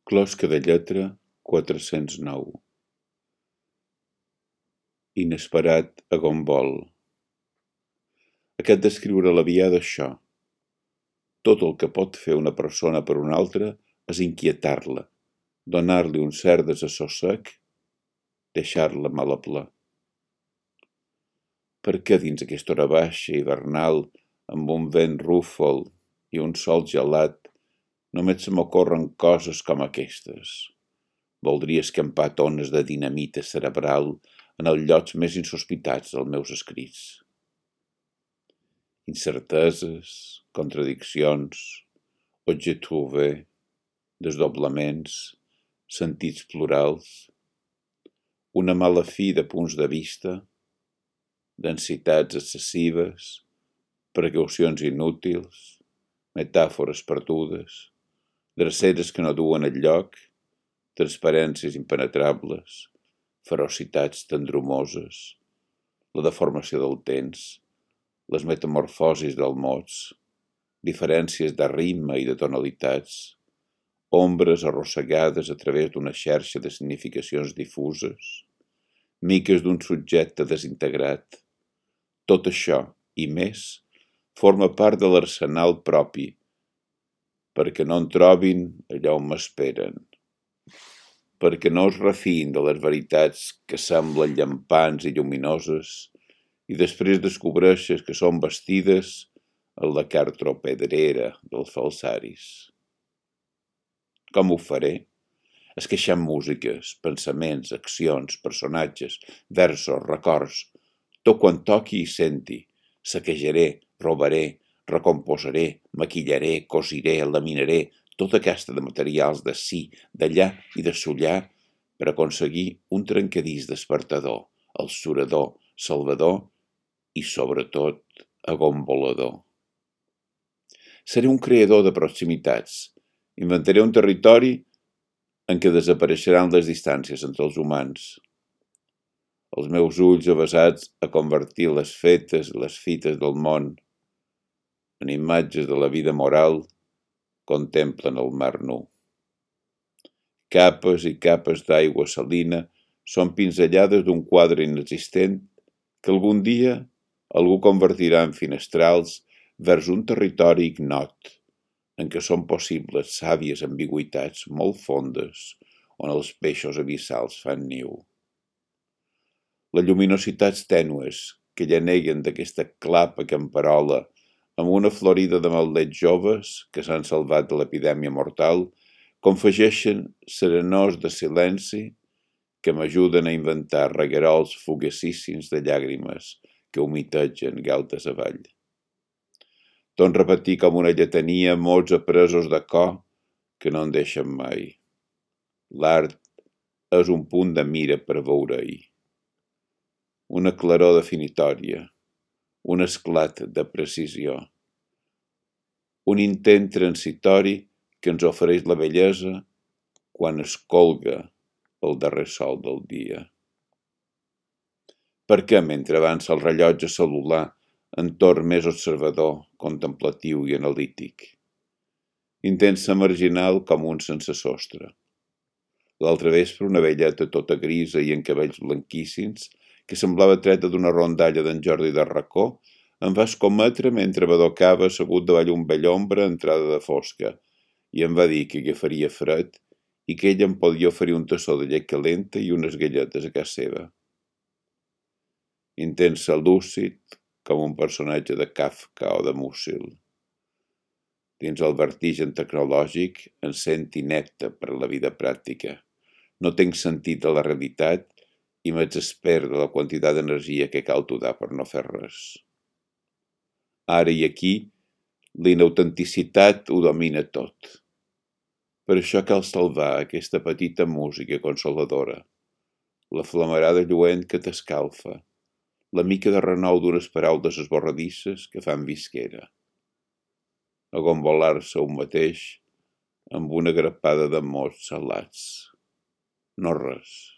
Closca de lletra 409. Inesperat agombol. Aquest d'escriure la via d'això. Tot el que pot fer una persona per una altra és inquietar-la, donar-li un cert desassossec, deixar-la mal a pla. Per què dins aquesta hora baixa, hivernal, amb un vent rúfol i un sol gelat, només se m'ocorren coses com aquestes? Voldria escampar tones de dinamita cerebral en els llocs més insospitats dels meus escrits. Incerteses, contradiccions, objets trouvés, desdoblaments, sentits plurals, una mala fi de punts de vista, densitats excessives, precaucions inútils, metàfores perdudes, dreceres que no duen enlloc, transparències impenetrables, ferocitats tendrumoses, la deformació del temps, les metamorfosis dels mots, diferències de ritme i de tonalitats, ombres arrossegades a través d'una xarxa de significacions difuses, miques d'un subjecte desintegrat. Tot això, i més, forma part de l'arsenal propi, perquè no en trobin allà on m'esperen, perquè no es refiïn de les veritats que semblen llampants i lluminoses i després descobreixes que són vestides en la cartropedrera dels falsaris. Com ho faré? Esqueixant músiques, pensaments, accions, personatges, versos, records, tot quan toqui i senti, saquejaré, robaré, recomposaré, maquillaré, cosiré, laminaré, tota aquesta de materials d'ací, d'allà i de sullar per aconseguir un trencadís despertador, el surador, salvador i, sobretot, agombolador. Seré un creador de proximitats. Inventaré un territori en què desapareixeran les distàncies entre els humans. Els meus ulls avesats a convertir les fetes i les fites del món en imatges de la vida moral contemplen el mar nu. Capes i capes d'aigua salina són pinzellades d'un quadre inexistent que algun dia algú convertirà en finestrals vers un territori ignot, en què són possibles sàvies ambigüitats molt fondes on els peixos abissals fan niu. Les lluminositats tènues que llaneguen d'aquesta clapa camperola amb una florida de maldets joves que s'han salvat de l'epidèmia mortal confegeixen serenors de silenci que m'ajuden a inventar reguerols fugaçíssims de llàgrimes que humitegen galtes avall. Torn repetir com una lletania mots apresos de cor que no en deixen mai. L'art és un punt de mira per veure-hi. Una claror definitòria, un esclat de precisió, un intent transitori que ens ofereix la bellesa quan es colga el darrer sol del dia. Per què, mentre avança el rellotge cel·lular, en torn més observador, contemplatiu i analític? Intensa marginal com un sense sostre. L'altre vespre una velleta tota grisa i en cabells blanquíssims, que semblava treta d'una rondalla d'en Jordi de Racó, em va escometre mentre badocava assegut davall un vell ombra a entrada de fosca, i em va dir que agafaria fred i que ella em podia oferir un tassó de llet calenta i unes galletes a casa seva. Intensa lúcid, com un personatge de Kafka o de Musil. Dins el vertigen tecnològic em sent inepte per a la vida pràctica. No tenc sentit de la realitat i m'exespero de la quantitat d'energia que cal donar per no fer res. Ara i aquí, l'inautenticitat ho domina tot. Per això cal salvar aquesta petita música consoladora, la flamarada lluent que t'escalfa, la mica de renou d'unes paraules esborradisses que fan visquera. Agombolar-se un mateix amb una grapada de mots salats. No res.